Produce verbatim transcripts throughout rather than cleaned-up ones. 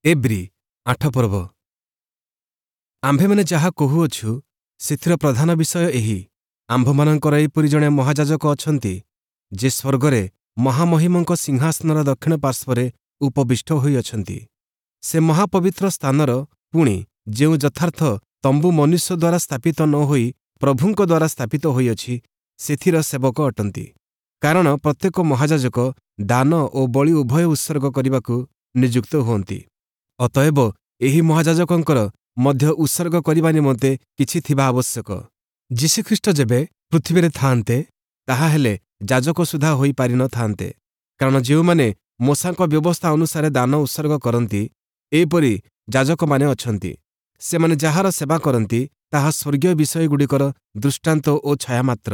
ଏବ୍ରୀ ଆଠ ପର୍ବ ଆମ୍ଭେମାନେ ଯାହା କହୁଅଛୁ ସେଥିର ପ୍ରଧାନ ବିଷୟ ଏହି ଆମ୍ଭମାନଙ୍କର ଏହିପରି ଜଣେ ମହାଯାଜକ ଅଛନ୍ତି ଯେ ସ୍ୱର୍ଗରେ ମହାମହିମଙ୍କ ସିଂହାସନର ଦକ୍ଷିଣ ପାର୍ଶ୍ୱରେ ଉପବିଷ୍ଟ ହୋଇଅଛନ୍ତି ସେ ମହାପବିତ୍ର ସ୍ଥାନର ପୁଣି ଯେଉଁ ଯଥାର୍ଥ ତମ୍ବୁ ମନୁଷ୍ୟ ଦ୍ୱାରା ସ୍ଥାପିତ ନ ହୋଇ ପ୍ରଭୁଙ୍କ ଦ୍ୱାରା ସ୍ଥାପିତ ହୋଇଅଛି ସେଥିର ସେବକ ଅଟନ୍ତି କାରଣ ପ୍ରତ୍ୟେକ ମହାଯାଜକ ଦାନ ଓ ବଳି ଉଭୟ ଉତ୍ସର୍ଗ କରିବାକୁ ନିଯୁକ୍ତ ହୁଅନ୍ତି ଅତଏବ ଏହି ମହାଯାଜକଙ୍କର ମଧ୍ୟ ଉତ୍ସର୍ଗ କରିବା ନିମନ୍ତେ କିଛି ଥିବା ଆବଶ୍ୟକ ଯୀଶୁଖ୍ରୀଷ୍ଟ ଯେବେ ପୃଥିବୀରେ ଥାଆନ୍ତେ ତାହାହେଲେ ଯାଜକ ସୁଦ୍ଧା ହୋଇପାରିନଥାନ୍ତେ କାରଣ ଯେଉଁମାନେ ମୋଶାଙ୍କ ବ୍ୟବସ୍ଥା ଅନୁସାରେ ଦାନ ଉତ୍ସର୍ଗ କରନ୍ତି ଏପରି ଯାଜକମାନେ ଅଛନ୍ତି ସେମାନେ ଯାହାର ସେବା କରନ୍ତି ତାହା ସ୍ୱର୍ଗୀୟ ବିଷୟଗୁଡ଼ିକର ଦୃଷ୍ଟାନ୍ତ ଓ ଛାୟା ମାତ୍ର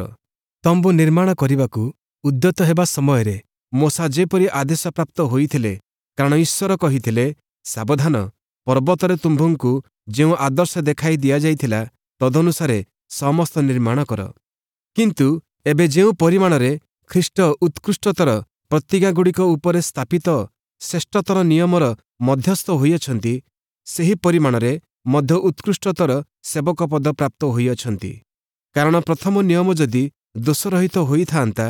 ତମ୍ବୁ ନିର୍ମାଣ କରିବାକୁ ଉଦ୍ୟତ ହେବା ସମୟରେ ମୋଶା ଯେପରି ଆଦେଶପ୍ରାପ୍ତ ହୋଇଥିଲେ କାରଣ ଈଶ୍ୱର କହିଥିଲେ ସାବଧାନ ପର୍ବତରେ ତୁମ୍ଭଙ୍କୁ ଯେଉଁ ଆଦର୍ଶ ଦେଖାଇ ଦିଆଯାଇଥିଲା ତଦନୁସାରେ ସମସ୍ତ ନିର୍ମାଣ କର କିନ୍ତୁ ଏବେ ଯେଉଁ ପରିମାଣରେ ଖ୍ରୀଷ୍ଟ ଉତ୍କୃଷ୍ଟତର ପ୍ରତିଜ୍ଞାଗୁଡ଼ିକ ଉପରେ ସ୍ଥାପିତ ଶ୍ରେଷ୍ଠତର ନିୟମର ମଧ୍ୟସ୍ଥ ହୋଇଅଛନ୍ତି ସେହି ପରିମାଣରେ ମଧ୍ୟ ଉତ୍କୃଷ୍ଟତର ସେବକ ପଦ ପ୍ରାପ୍ତ ହୋଇଅଛନ୍ତି କାରଣ ପ୍ରଥମ ନିୟମ ଯଦି ଦୋଷରହିତ ହୋଇଥାନ୍ତା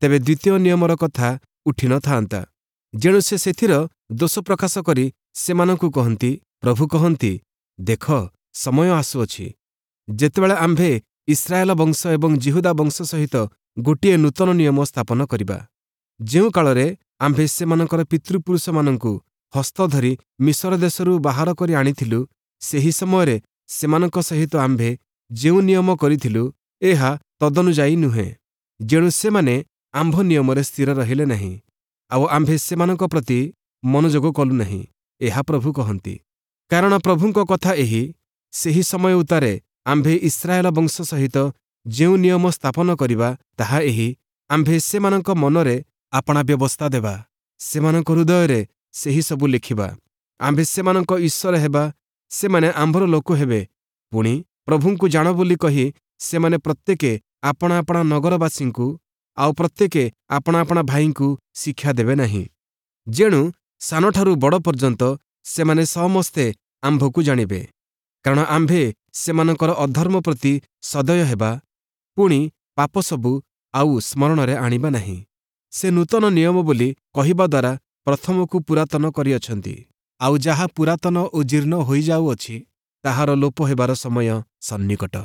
ତେବେ ଦ୍ୱିତୀୟ ନିୟମର କଥା ଉଠିନଥାନ୍ତା ଯେଣୁ ସେ ସେଥିର ଦୋଷ ପ୍ରକାଶ କରି ସେମାନଙ୍କୁ କହନ୍ତି ପ୍ରଭୁ କହନ୍ତି ଦେଖ ସମୟ ଆସୁଅଛି ଯେତେବେଳେ ଆମ୍ଭେ ଇସ୍ରାଏଲ ବଂଶ ଏବଂ ଯିହୁଦା ବଂଶ ସହିତ ଗୋଟିଏ ନୂତନ ନିୟମ ସ୍ଥାପନ କରିବା ଯେଉଁ କାଳରେ ଆମ୍ଭେ ସେମାନଙ୍କର ପିତୃପୁରୁଷମାନଙ୍କୁ ହସ୍ତ ଧରି ମିଶର ଦେଶରୁ ବାହାର କରି ଆଣିଥିଲୁ ସେହି ସମୟରେ ସେମାନଙ୍କ ସହିତ ଆମ୍ଭେ ଯେଉଁ ନିୟମ କରିଥିଲୁ ଏହା ତଦନୁଯାୟୀ ନୁହେଁ ଯେଣୁ ସେମାନେ ଆମ୍ଭ ନିୟମରେ ସ୍ଥିର ରହିଲେ ନାହିଁ ଆଉ ଆମ୍ଭେ ସେମାନଙ୍କ ପ୍ରତି ମନୋଯୋଗ କଲୁ ନାହିଁ ଏହା ପ୍ରଭୁ କହନ୍ତି କାରଣ ପ୍ରଭୁଙ୍କ କଥା ଏହି ସେହି ସମୟ ଉତ୍ତାରେ ଆମ୍ଭେ ଇସ୍ରାଏଲ ବଂଶ ସହିତ ଯେଉଁ ନିୟମ ସ୍ଥାପନ କରିବା ତାହା ଏହି ଆମ୍ଭେ ସେମାନଙ୍କ ମନରେ ଆପଣା ବ୍ୟବସ୍ଥା ଦେବା ସେମାନଙ୍କ ହୃଦୟରେ ସେହି ସବୁ ଲେଖିବା ଆମ୍ଭେ ସେମାନଙ୍କ ଈଶ୍ୱର ହେବା ସେମାନେ ଆମ୍ଭର ଲୋକ ହେବେ ପୁଣି ପ୍ରଭୁଙ୍କୁ ଜାଣ ବୋଲି କହି ସେମାନେ ପ୍ରତ୍ୟେକେ ଆପଣା ଆପଣା ନଗରବାସୀଙ୍କୁ ଆଉ ପ୍ରତ୍ୟେକେ ଆପଣା ଆପଣା ଭାଇଙ୍କୁ ଶିକ୍ଷା ଦେବେ ନାହିଁ ଯେଣୁ ସାନଠାରୁ ବଡ଼ ପର୍ଯ୍ୟନ୍ତ ସେମାନେ ସମସ୍ତେ ଆମ୍ଭକୁ ଜାଣିବେ କାରଣ ଆମ୍ଭେ ସେମାନଙ୍କର ଅଧର୍ମ ପ୍ରତି ସଦୟ ହେବା ପୁଣି ପାପ ସବୁ ଆଉ ସ୍ମରଣରେ ଆଣିବା ନାହିଁ ସେ ନୂତନ ନିୟମ ବୋଲି କହିବା ଦ୍ୱାରା ପ୍ରଥମକୁ ପୁରାତନ କରିଅଛନ୍ତି ଆଉ ଯାହା ପୁରାତନ ଓ ଜୀର୍ଣ୍ଣ ହୋଇଯାଉଅଛି ତାହାର ଲୋପ ହେବାର ସମୟ ସନ୍ନିକଟ।